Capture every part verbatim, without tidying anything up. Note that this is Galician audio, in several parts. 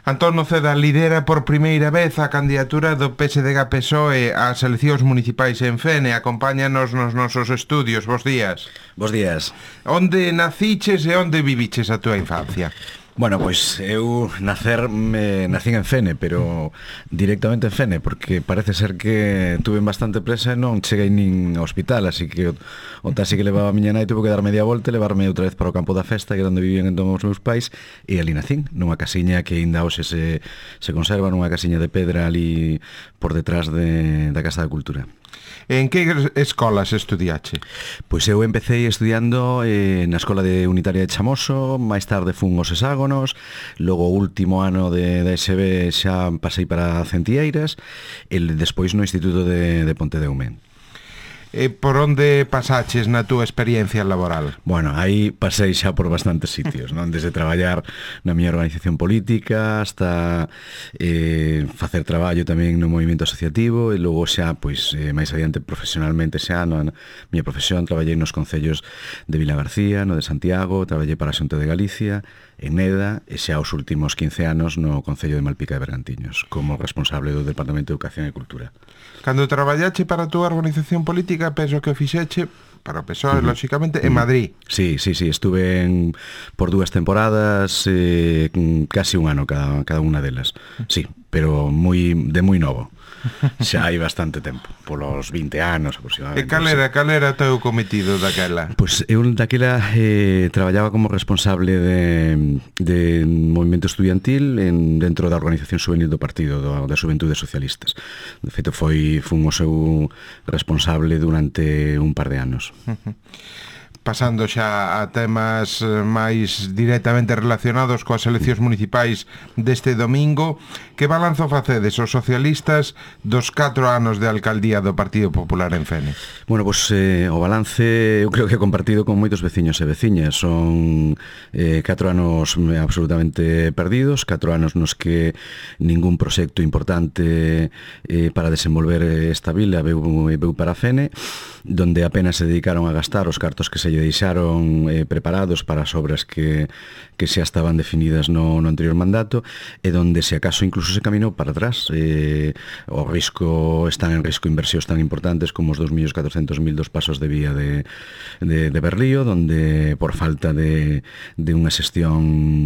Antón Noceda lidera por primeira vez a candidatura do P S D G P S O E ás eleccións municipais en Fene. Acompáñanos nos nosos estudios. Bos días. Bos días. Onde naciches e onde viviches a túa infancia? Bueno, pois eu nacer me nacín en Fene, pero directamente en Fene, porque parece ser que tuve bastante presa e non cheguei nin ao hospital, así que o, o taxi que levaba a miña nai tuvo que dar media volta e levarme outra vez para o campo da festa, que era onde vivían entón os meus pais, e ali nacín, nunha casiña que ainda hoxe se, se conserva, nunha casiña de pedra ali por detrás de, da Casa da Cultura. En que escolas estudiache? Pois eu empecé estudiando eh, na Escola de Unitaria de Chamoso, máis tarde fun aos Hexágonos, logo o último ano de, de S B xa pasei para Centieiras e despois no Instituto de, de Pontedeume. E por onde pasaches na túa experiencia laboral? Bueno, aí pasei xa por bastantes sitios, non? Desde traballar na miña organización política hasta eh, facer traballo tamén no movimento asociativo e logo xa, pois, eh, máis adiante profesionalmente xa na miña profesión traballei nos concellos de Vilagarcía, no de Santiago, traballei para a Xunta de Galicia, en Neda e xa os últimos quince anos no Concello de Malpica de Bergantiños como responsable do Departamento de Educación e Cultura. Cando traballache para a túa organización política, penso que o fixeche para o P S O E, uh-huh. lóxicamente, en Madrid. Sí, sí, sí, estuve en, por dúas temporadas, eh, casi un ano cada, cada unha delas. Sí, pero moi de moi novo. Xa hai bastante tempo, polos vinte anos aproximadamente. E cal era, cal era o teu cometido daquela? Pois eu daquela eh, traballaba como responsable de, de movimento estudiantil en, dentro da organización juvenil do partido, do, da Xuventudes Socialistas. De feito, foi, fun o seu responsable durante un par de anos. Uh-huh. Pasando xa a temas máis directamente relacionados coas eleccións municipais deste domingo, que balanzo facedes os socialistas dos catro anos de alcaldía do Partido Popular en Fene? Bueno, pois eh, o balance eu creo que é compartido con moitos veciños e veciñas. Son eh, catro anos absolutamente perdidos, catro anos nos que ningún proxecto importante eh, para desenvolver esta vila veu, veu para Fene, donde apenas se dedicaron a gastar os cartos que se lle deixaron eh, preparados para as obras que, que xa estaban definidas no, no anterior mandato e donde se acaso incluso se caminou para atrás. Eh, o risco, están en risco inversións tan importantes como os dos millóns catrocentos mil dos pasos de vía de, de, de Berlío, donde por falta de, de unha xestión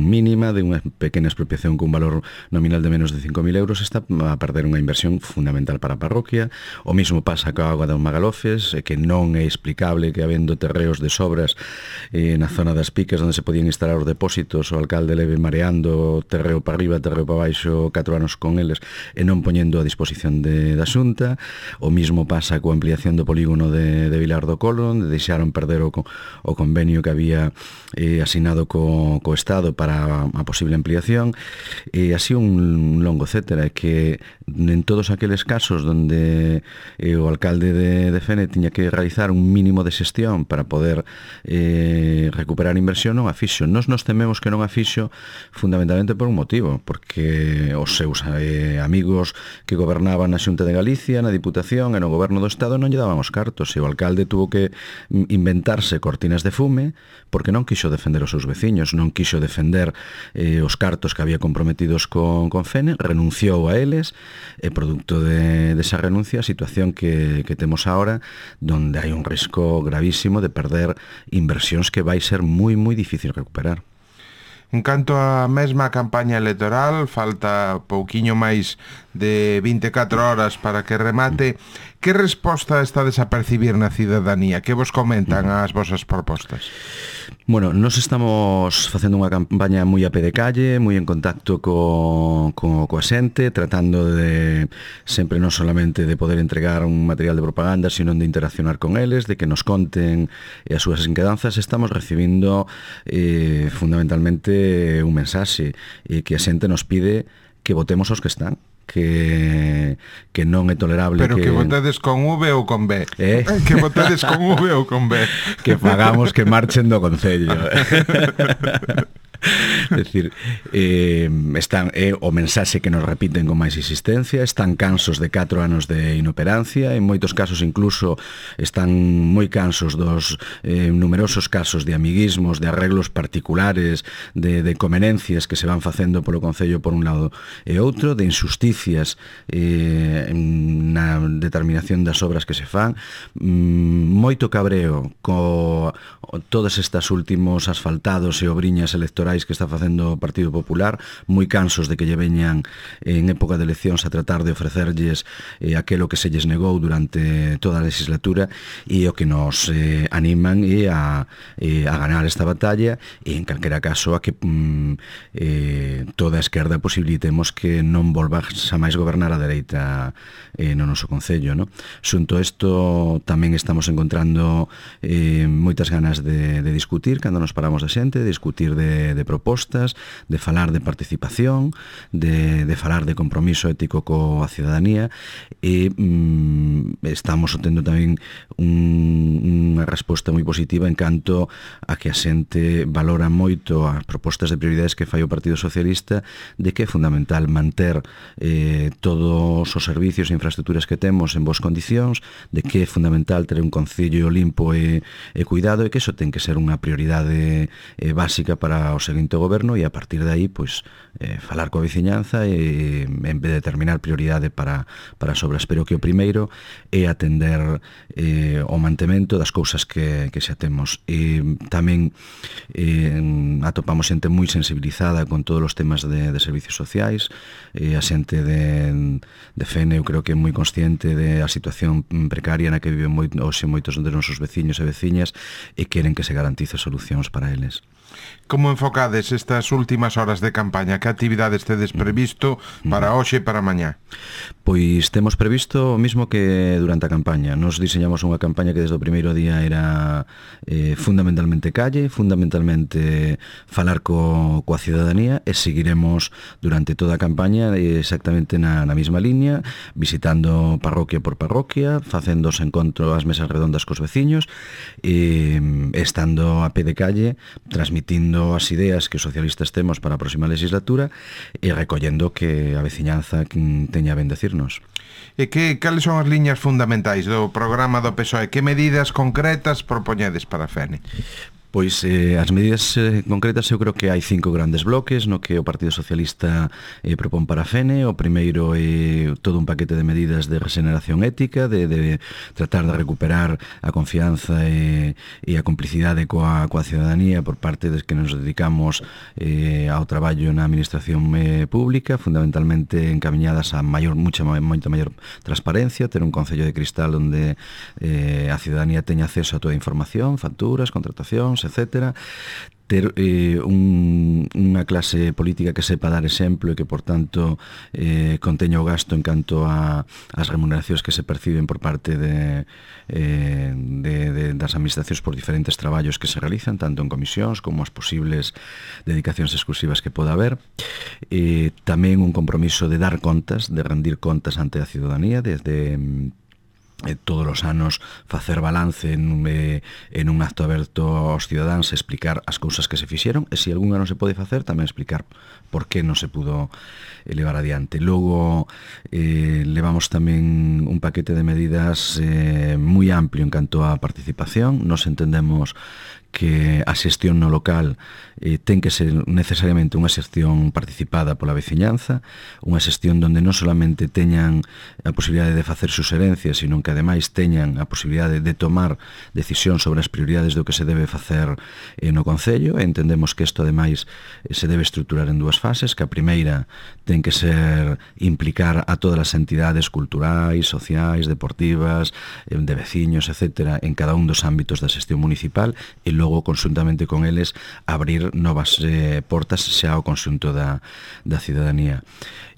mínima, de unha pequena expropiación con valor nominal de menos de cinco mil euros, está a perder unha inversión fundamental para a parroquia. O mismo pasa coa auga dos Magalofes, que non é explicable que habendo terreos de sobras eh, na zona das Piques onde se podían instalar os depósitos, o alcalde leve mareando terreo para arriba, terreo para baixo, catro anos con eles e non poñendo a disposición de, da Xunta. O mismo pasa coa ampliación do polígono de, de Vilar do Colo, onde deixaron perder o, o convenio que había eh, asinado co, co Estado para a posible ampliación, e así un longo etcétera, que en todos aqueles casos donde eh, o alcalde de, de Fene tiña que realizar un mínimo de xestión para poder eh, recuperar inversión, non a fixo. Nos nos tememos que non a fixo fundamentalmente por un motivo, porque os seus eh, amigos que gobernaban na Xunta de Galicia, na Diputación e no Goberno do Estado non lle daban os cartos, e o alcalde tuvo que inventarse cortinas de fume porque non quixo defender os seus veciños, non quixo defender eh, os cartos que había comprometidos con, con Fene, renunciou a eles e producto de, de esa renuncia a situación que, que temos ahora, donde hai un risco gravísimo de perder inversións que vai ser moi, moi difícil recuperar. En canto á mesma campaña electoral, falta pouquiño máis de vinte e catro horas para que remate. Que resposta estades a percibir na cidadanía? Que vos comentan as vosas propostas? Bueno, nos estamos facendo unha campaña moi a pé de calle, moi en contacto co, co, coa xente, tratando de sempre non solamente de poder entregar un material de propaganda, sino de interaccionar con eles, de que nos conten as súas inquedanzas. Estamos recibindo eh, fundamentalmente un mensaxe e que a xente nos pide que votemos os que están, que que non é tolerable. Pero que, que votedes con V ou con B? Eh? Que votedes con V ou con B? Que pagamos que marchen do Concello. É dicir, eh, están, é o mensaxe que nos repiten con máis insistencia, están cansos de catro anos de inoperancia, en moitos casos incluso están moi cansos dos eh, numerosos casos de amiguismos, de arreglos particulares, de, de convenencias que se van facendo polo Concello por un lado e outro, de injusticias eh, na determinación das obras que se fan, mm, moito cabreo co todas estas últimos asfaltados e obriñas electorais que está facendo o Partido Popular, moi cansos de que lle veñan en época de eleccións a tratar de ofrecerlles eh, aquelo que se lles negou durante toda a legislatura, e o que nos eh, animan é a, eh, a ganar esta batalla, e en calquera caso a que mm, eh, toda a esquerda posibilitemos que non volva xa máis gobernar a dereita eh, no noso Concello, no? Xunto isto tamén estamos encontrando eh, moitas ganas de, de discutir cando nos paramos de xente, de discutir de, de propostas, de falar de participación, de, de falar de compromiso ético coa cidadanía, e mm, estamos obtendo tamén un, unha resposta moi positiva en canto a que a xente valora moito as propostas de prioridades que fai o Partido Socialista, de que é fundamental manter eh, todos os servicios e infraestructuras que temos en boas condicións, de que é fundamental ter un concello limpo e, e cuidado, e que iso ten que ser unha prioridade eh, básica para o seguinte goberno, e a partir de aí, pois, eh, falar coa veciñanza e en vez de determinar prioridade para, para as obras. Pero que o primeiro é atender eh, o mantemento das cousas que, que xa temos. E tamén eh, atopamos xente moi sensibilizada con todos os temas de, de servicios sociais, e a xente de, de F E N eu creo que é moi consciente de a situación precaria na que viven moi, hoxe moitos dos nosos veciños e veciñas, e queren que se garantice solucións para eles. Como enfocades estas últimas horas de campaña? Que actividades tedes previsto para hoxe e para mañá? Pois temos previsto o mismo que durante a campaña. Nos diseñamos unha campaña que desde o primeiro día era eh, fundamentalmente calle, fundamentalmente falar co, coa cidadanía, e seguiremos durante toda a campaña exactamente na, na mesma línea, visitando parroquia por parroquia, facendo os encontros, as mesas redondas cos veciños, e estando a pé de calle, transmitindo as ideas que os socialistas temos para a próxima legislatura e recollendo que a veciñanza teña ben decirnos. E que, cales son as liñas fundamentais do programa do P S O E? Que medidas concretas propoñedes para a F E N? Pois eh, as medidas eh, concretas, eu creo que hai cinco grandes bloques no que o Partido Socialista eh, propón para a F E N. O primeiro é todo un paquete de medidas de regeneración ética, de, de tratar de recuperar a confianza e, e a complicidade coa, coa cidadanía por parte des que nos dedicamos eh, ao traballo na administración eh, pública, fundamentalmente encamiñadas a maior, mucha, moita maior transparencia, ter un concello de cristal onde eh, a cidadanía teña acceso a toda a información, facturas, contratacións, etcétera, ter eh, un, unha clase política que sepa dar exemplo e que, por tanto, eh, conteña o gasto en canto a as remuneracións que se perciben por parte de, eh, de, de, das administracións por diferentes traballos que se realizan, tanto en comisións como as posibles dedicacións exclusivas que poda haber. Eh, tamén un compromiso de dar contas, de rendir contas ante a ciudadanía, desde Eh, todos os anos facer balance en, eh, en un acto aberto aos cidadáns, explicar as cousas que se fixeron, e se algunha non se pode facer, tamén explicar por que non se pudo levar adiante. Logo eh, levamos tamén un paquete de medidas eh, moi amplio en canto á participación. Nos entendemos que a xestión no local eh, ten que ser necesariamente unha xestión participada pola veciñanza, unha xestión onde non solamente teñan a posibilidade de facer suxerencias, sino que ademais teñan a posibilidade de tomar decisión sobre as prioridades do que se debe facer eh, no Concello. Entendemos que isto ademais eh, se debe estruturar en dúas fases, que a primeira ten que ser implicar a todas as entidades culturais, sociais, deportivas, eh, de veciños, etcétera, en cada un dos ámbitos da xestión municipal, e logo, conxuntamente con eles, abrir novas eh, portas xa ao conxunto da, da cidadanía.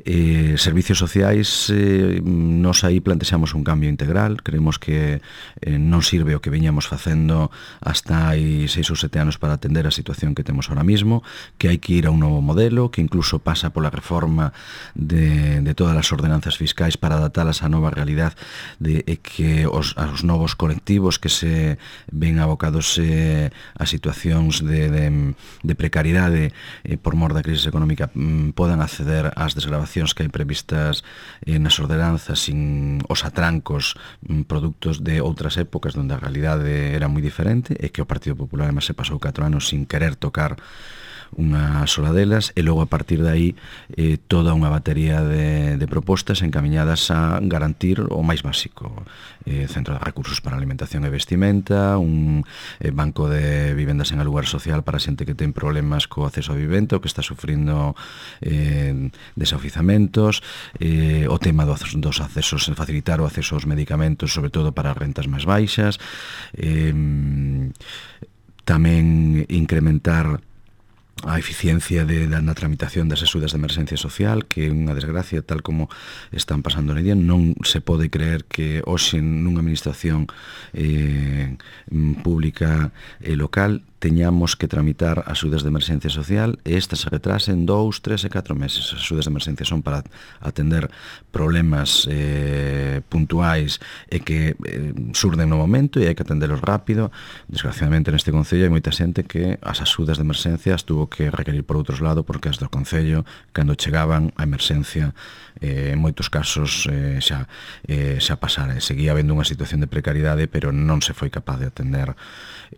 Eh, servicios sociais, eh, nos aí plantexamos un cambio integral. Creemos que eh, non sirve o que viñamos facendo hasta hai seis ou sete anos para atender a situación que temos ahora mismo, que hai que ir a un novo modelo, que incluso pasa pola reforma de, de todas as ordenanzas fiscais para adaptalas á nova realidade, de eh, que os, os novos colectivos que se ven abocados eh, que as situacións de, de, de precariedade eh, por mor da crise económica mm, podan acceder ás desgravacións que hai previstas eh, nas ordenanzas sin os atrancos mm, produtos de outras épocas onde a realidade era moi diferente e que o Partido Popular además se pasou catro anos sin querer tocar unha sola delas, e logo a partir de aí eh, toda unha batería de, de propostas encaminhadas a garantir o máis básico, eh, centro de recursos para alimentación e vestimenta, un eh, banco de vivendas en alugar social para xente que ten problemas co acceso a vivenda, que está sufrindo eh, desaoizamentos, eh, o tema dos, dos accesos, facilitar o acceso aos medicamentos, sobre todo para as rentas máis baixas, eh, tamén incrementar a eficiencia de, da, na tramitación das axudas de emerxencia social, que é unha desgracia tal como están pasando na día. Non se pode creer que hoxe nunha administración eh, pública e local teñamos que tramitar axudas de emerxencia social e estas se retrasen dous, tres e catro meses. As axudas de emerxencia son para atender problemas eh, puntuais e que eh, surden no momento e hai que atendelos rápido. Desgraciadamente neste Concello hai moita xente que as axudas de emerxencia as tuvo que requerir por outros lados porque as do Concello, cando chegaban a emerxencia, eh, en moitos casos eh, xa, eh, xa pasara. Seguía habendo unha situación de precariedade, pero non se foi capaz de atender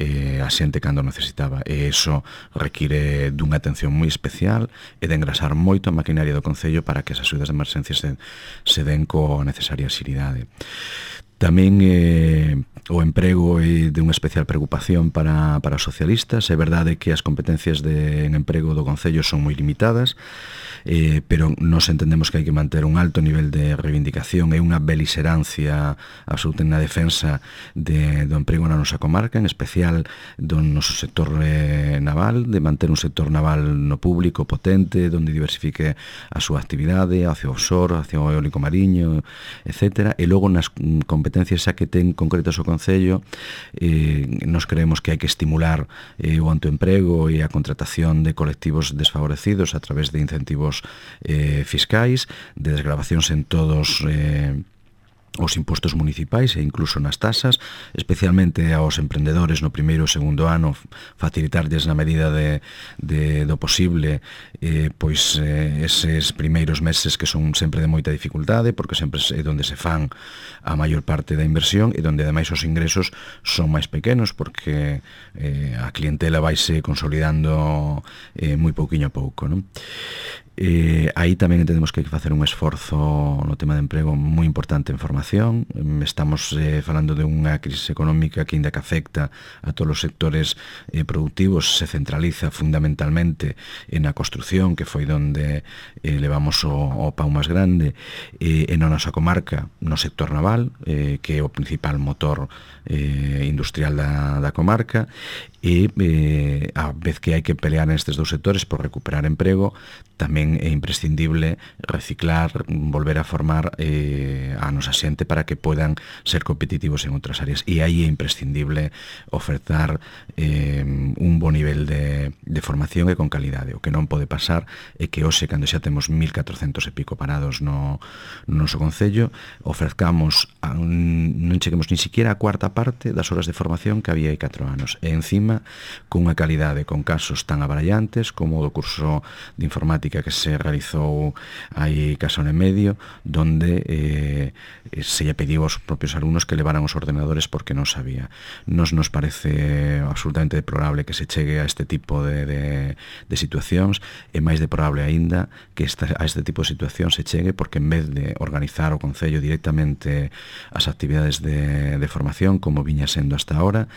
eh, a xente cando necesitaba, e iso require dunha atención moi especial e de engrasar moito a maquinaria do Concello para que as axudas de emerxencia se, se den coa necesaria xeridade. Tamén eh, o emprego é de unha especial preocupación para, para os socialistas. É verdade que as competencias de, en emprego do Concello son moi limitadas, eh, pero nos entendemos que hai que manter un alto nivel de reivindicación e unha beliserancia absoluta na defensa de, do emprego na nosa comarca, en especial do noso sector eh, naval, de manter un sector naval no público potente, donde diversifique a súa actividade hacia o offshore, hacia o eólico mariño, etcétera. E logo nas competencias xa que ten concretas o Concello, eh, nos creemos que hai que estimular eh, o autoemprego e a contratación de colectivos desfavorecidos a través de incentivos eh, fiscais, de desgravacións en todos eh, os impostos municipais e incluso nas tasas, especialmente aos emprendedores no primeiro e segundo ano, facilitarlles na medida de, de, do posible eh, pois eh, eses primeiros meses que son sempre de moita dificultade, porque sempre é onde se fan a maior parte da inversión e onde ademais os ingresos son máis pequenos, porque eh, a clientela vaise consolidando eh, moi pouquiño a pouco, non? Eh, aí tamén entendemos que hai que facer un esforzo no tema de emprego moi importante en formación. Estamos eh, falando de unha crise económica que ainda que afecta a todos os sectores eh, productivos, se centraliza fundamentalmente en a construción, que foi donde eh, levamos o, o pau máis grande, eh, en a nosa comarca, no sector naval, eh, que é o principal motor eh, industrial da, da comarca, e eh, a vez que hai que pelear nestes dous sectores por recuperar emprego, tamén é imprescindible reciclar, volver a formar eh, a nosa xente para que podan ser competitivos en outras áreas, e aí é imprescindible ofertar eh, un bo nivel de, de formación e con calidade. O que non pode pasar é que hoxe, cando xa temos mil catrocentos e pico parados no, no noso Concello, ofrezcamos a un, non cheguemos ni siquiera a cuarta parte das horas de formación que había hai catro anos, e encima cunha calidade, con casos tan abarallantes como o do curso de informática que se realizou hai case un e medio, donde eh, se lle pediu aos propios alumnos que levaran os ordenadores porque non sabía. Nos nos parece absolutamente deplorable que se chegue a este tipo de, de, de situacións, e máis deplorable aínda que esta, a este tipo de situacións se chegue porque en vez de organizar o Concello directamente as actividades de, de formación como viña sendo hasta ahora,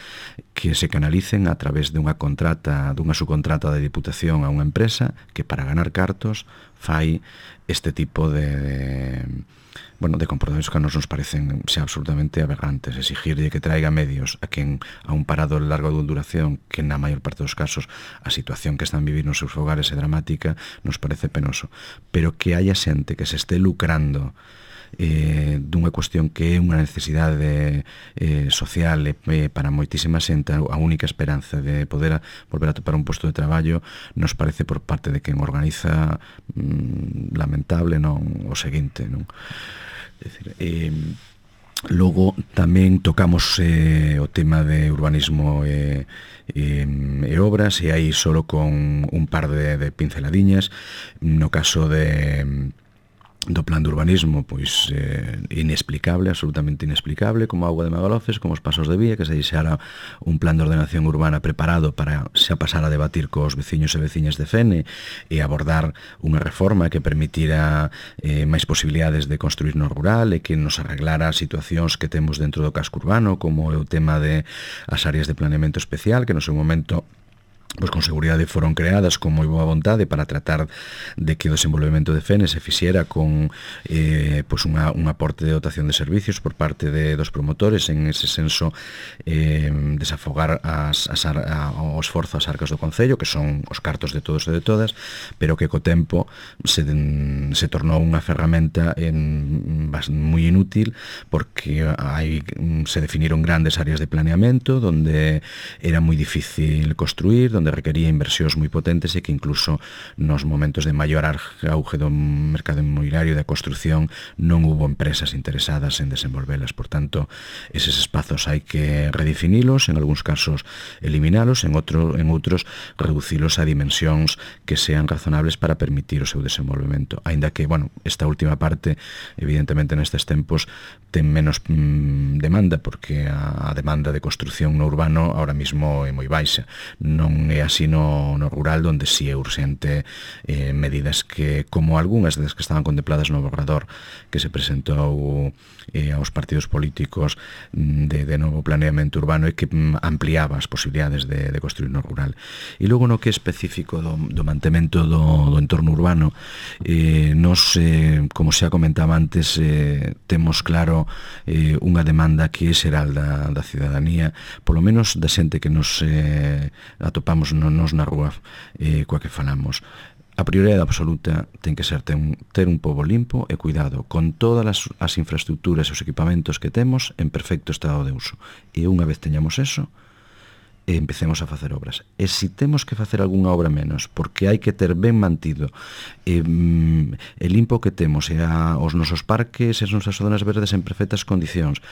que se canalicen a través de unha contrata, dunha subcontrata de Diputación a unha empresa que para ganar cartos fai este tipo de, de bueno, de comportamentos que a nos nos parecen xa absolutamente aberrantes. Exigirlle que traiga medios a quen a un parado de larga duración, que na maior parte dos casos a situación que están vivir nos seus fogares é dramática, nos parece penoso. Pero que haya xente que se este lucrando eh, dunha cuestión que é unha necesidade eh, social eh, para moitísima xente, a única esperanza de poder a, volver a topar un posto de traballo, nos parece por parte de quen organiza mm, lamentable non o seguinte, non? É dicir, eh, Logo tamén tocamos eh, o tema de urbanismo e, e, e obras, e aí solo con un par de, de pinceladiñas. No caso de do plan de urbanismo, pois eh, inexplicable, absolutamente inexplicable, como a auga de Magalofes, como os pasos de vía, que se deixara un plan de ordenación urbana preparado para xa pasar a debatir cos veciños e veciñas de Fene e abordar unha reforma que permitira eh, máis posibilidades de construir no rural e que nos arreglara situacións que temos dentro do casco urbano, como é o tema de as áreas de planeamento especial, que no seu momento pois con seguridade foron creadas con moi boa vontade para tratar de que o desenvolvemento de Fene se fixera con eh, pois unha, un aporte de dotación de servicios por parte de, dos promotores, en ese senso eh, desafogar as, as, a, o esforzo ás arcas do Concello, que son os cartos de todos e de todas, pero que co tempo se, se tornou unha ferramenta en, moi inútil, porque hai, se definiron grandes áreas de planeamento donde era moi difícil construir, donde requería inversións moi potentes e que incluso nos momentos de maior auge do mercado inmobiliario e da construción non hubo empresas interesadas en desenvolvelas. Por tanto, eses espazos hai que redefinilos, en algúns casos eliminalos, en, outro, en outros reducilos a dimensións que sean razonables para permitir o seu desenvolvemento. Aínda que, bueno, esta última parte, evidentemente nestes tempos, ten menos mmm, demanda, porque a, a demanda de construción no urbano ahora mismo é moi baixa. Non é así no, no rural, onde si é urxente eh, medidas que, como algunhas das que estaban contempladas no borrador que se presentou eh, aos partidos políticos de, de novo planeamento urbano, e que mm, ampliaba as posibilidades de, de construir no rural. E logo no que é específico do, do mantemento do, do entorno urbano, eh, nos, eh, como xa comentaba antes, eh, temos claro eh, unha demanda que é xeral da, da cidadanía, polo menos da xente que nos eh, atopamos nos na rúa eh, coa que falamos. A prioridade absoluta ten que ser ter un, ter un pobo limpo e cuidado con todas as, as infraestructuras e os equipamentos que temos en perfecto estado de uso. E unha vez teñamos eso, e empecemos a facer obras. E se temos que facer algunha obra menos, porque hai que ter ben mantido e, mm, e limpo que temos e a, os nosos parques e as nosas zonas verdes en perfectas condicións,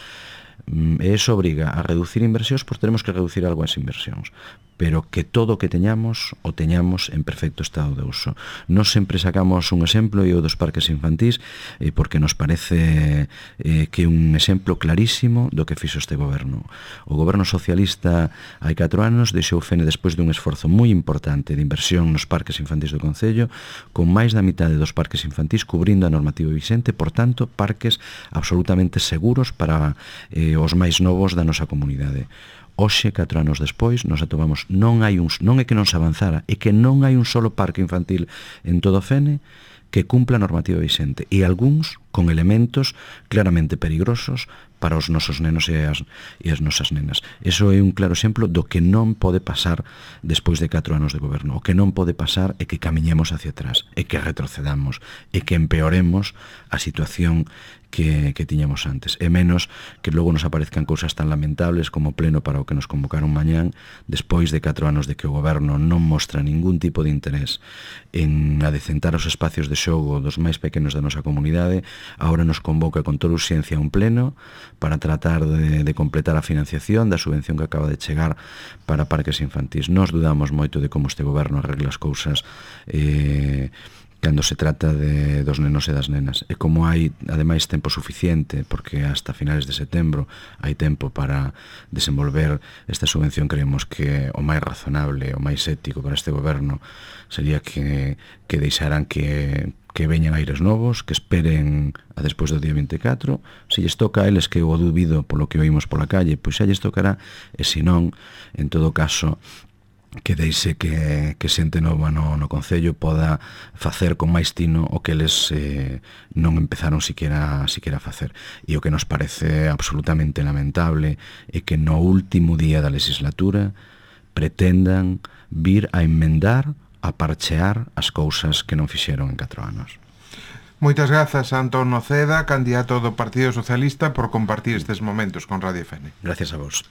e eso obriga a reducir inversións, pois teremos que reducir algo as inversións, pero que todo o que teñamos o teñamos en perfecto estado de uso. Nos sempre sacamos un exemplo, e o dos parques infantís, eh, porque nos parece eh, que é un exemplo clarísimo do que fixo este goberno. O goberno socialista hai catro anos deixou Fene despois dun esforzo moi importante de inversión nos parques infantís do Concello, con máis da mitade dos parques infantís cubrindo a normativa vixente, por tanto, parques absolutamente seguros para eh, os máis novos da nosa comunidade. Hoxe, catro anos despois, nos atopamos, non hai un, non é que non se avanzara, é que non hai un solo parque infantil en todo Fene que cumpla a normativa vixente, e algúns con elementos claramente peligrosos para os nosos nenos e as, e as nosas nenas. Eso é un claro exemplo do que non pode pasar despois de catro anos de goberno. O que non pode pasar é que camiñemos hacia atrás, é que retrocedamos, é que empeoremos a situación que, que tiñamos antes, e menos que logo nos aparezcan cousas tan lamentables como o pleno para o que nos convocaron mañán, despois de catro anos de que o goberno non mostra ningún tipo de interés en adecentar os espacios de xogo dos máis pequenos da nosa comunidade. Agora nos convoca con toda urxencia un pleno para tratar de, de completar a financiación da subvención que acaba de chegar para parques infantís. Nos dudamos moito de como este goberno arregla as cousas eh, cando se trata de, dos nenos e das nenas. E como hai, ademais, tempo suficiente, porque hasta finales de setembro hai tempo para desenvolver esta subvención, creemos que o máis razonable, o máis ético para este goberno sería que, que deixaran que, que veñan aires novos, que esperen a despois do día vinte e catro. Se lles toca a eles, que o dubido polo que oímos pola calle, pois xa lles tocará, e se non, en todo caso, que deixe que, que xente nova no, no Concello poda facer con máis tino o que eles eh, non empezaron siquiera, siquiera a facer. E o que nos parece absolutamente lamentable é que no último día da legislatura pretendan vir a enmendar, a parchear as cousas que non fixeron en catro anos. Moitas grazas a Antón Noceda, candidato do Partido Socialista, por compartir estes momentos con Radio Fene. Gracias a vos.